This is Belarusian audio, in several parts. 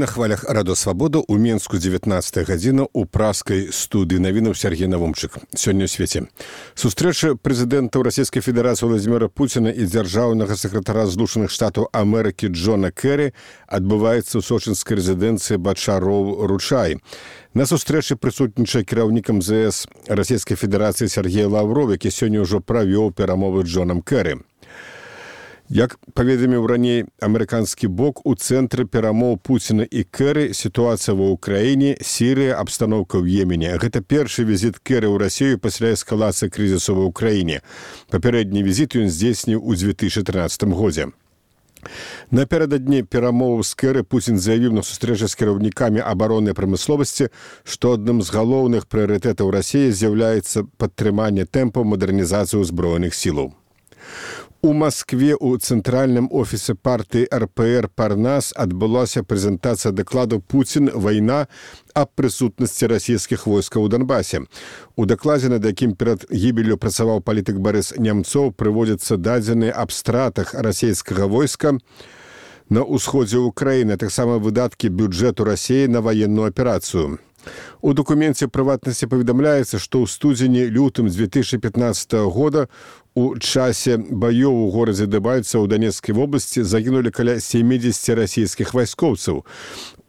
На хвалях Радо Свабода у Менску 19 гадзіна ў праскай студыі навінаў Сергей Навумчык. Сёння ў свеце. Сустрэча прэзідэнтаў Расійскай Федэрацыі Владзіміра Пуціна і дзяржаўнага сакратара Злучаных Штатаў Амерыкі Джона Кэры адбываецца ў сочынскай рэзідэнцыі Бачароў-Ручай. На сустрэчы прысутнічае кіраўнік МЗС Расійскай Федэрацыі Сергей Лавров, які сёння ўжо правёў перамовы з Джонам Кэры. Як паведаміў раней амерыканскі бок, у цэнтры перамоў Пуціна і Кэры сітуацыя ва ўкраіне, Сірыя, абстаноўка ў Йемене. Гэта першы візіт Кэры ў Расію пасля эскалацыі крызісу ва ўкраіне. Папярэдні візіт ён здзейсніў у 2013 годзе. Напярэдадні перамоваў з Кэры Пуцін заявіў на сустрэчы з кіраўнікамі абароннай прамысловасці, што адным з галоўных прыярытэтаў Расіі з'яўляецца падтрыманне тэмпаў мадэрнізацыі ўзброеных сілаў. У Маскве у цэнтральным офісе партыі РПР «Парнас» адбылася прэзентацыя дакладу «Пуцін. Вайна» аб прысутнасці расійскіх войскаў у Донбасе. У дакладзе, над якім перад гібеллю працаваў палітык Барыс Нямцоў, прыводзяцца дадзеныя аб стратах расійскага войска на ўсходзе ўкраіны, таксама выдаткі бюджэту Расіі на ваенную аперацыю. У дакуменце прыватнасці паведамляецца, што ў студзені-лютым 2015 года у часе баёў у горадзе Дэбальцева ў Донецкай вобласці загінулі каля 70 расійскіх вайскоўцаў.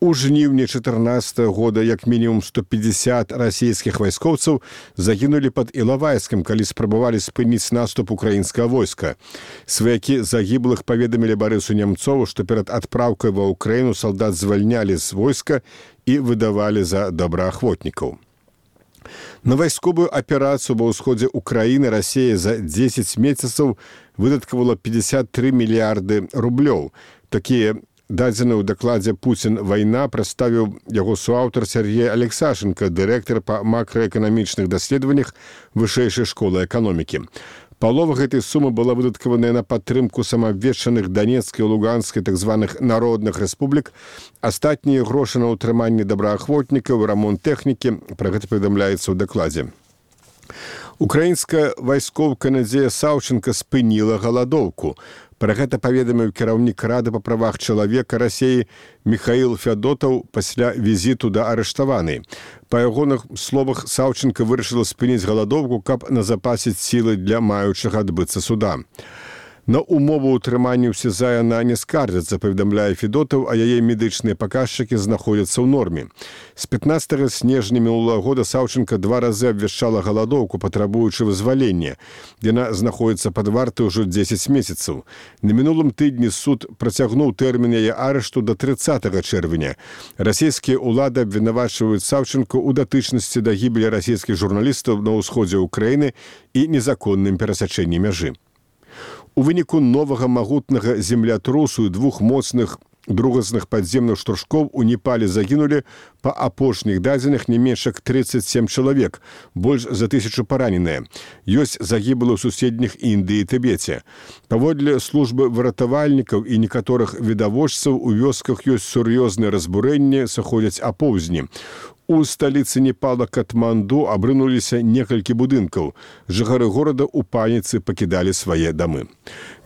У жніўні 2014 года як мінімум 150 расійскіх вайскоўцаў загінулі пад Ілавайскам, калі спрабавалі спыніць наступ украінскага войска. Сваякі загіблых паведамілі Барысу Нямцову, што перад адпраўкай ва ўкраіну салдат звальнялі з войска і выдавалі за добраахвотнікаў. На вайсковую аперацыю ва ўсходзе ўкраіны Расія за 10 месяцаў выдаткавала 53 мільярды рублёў. Такія дадзеныя ў дакладзе «Пуцін. Вайна» прадставіў яго суаўтар Сергей Алексашенко, дырэктар па макраэканамічных даследаваннях Вышэйшай школы эканомікі. Палова гэтай сумы была выдаткаваная на падтрымку самаабвешчаных Донецкай і Луганскай так званых народных рэспублік, астатнія грошы на ўтрыманне добраахвотнікаў, рамонт тэхнікі, пра гэта паведамляецца ў дакладзе. Украінская вайскоўка Надзея Саўченка спыніла галадоўку. Пра гэта паведаміў кіраўнік Рады па правах чалавека Расіі Міхаіл Фядотаў пасля візіту да арыштаванай. Па ягоных словах, Саўченка вырашыла спыніць галадоўку, каб назапасіць сілы для маючага адбыцца суда. На умову ўтрымання ў СІЗА яна не скардзіцца, паведамляе Федотаў, а яе медычныя паказчыкі знаходзяцца ў норме. З 15 снежня мінулага года Саўченка 2 разы абвяшчала галадоўку, патрабуючы вызвалення. Яна знаходзіцца пад вартай ужо 10 месяцаў. На мінулым тыдні суд працягнуў тэрмін яе арышту да 30 чэрвеня. Расійскія ўлады абвінавачваюць Саўченку ў датычнасці да гібелі расійскіх журналістаў на ўсходзе ўкраіны і незаконным перасячэнні мяжы. У выніку новага магутнага землятрусу і 2 моцных другасных падземных штуршкоў у Непале загінулі па апошніх дадзеных не менш як 37 чалавек, больш за 1000 параненыя. Ёсць загіблыя ў суседніх Індыі і Тыбеце. Паводле службы выратавальнікаў і некаторых відавочцаў у вёсках ёсць сур'ёзныя разбурэнні, сыходзяць апоўзні. У сталіцы Непала Катманду абрынуліся некалькі будынкаў. Жыхары горада ў паніцы пакідалі свае дамы.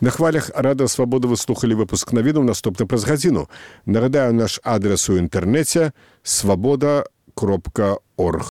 На хвалях Рада Свабода вы слухалі выпуск навінаў, наступны праз гадзіну. Нагадаю наш адрес у інтэрнэце свабода.орг.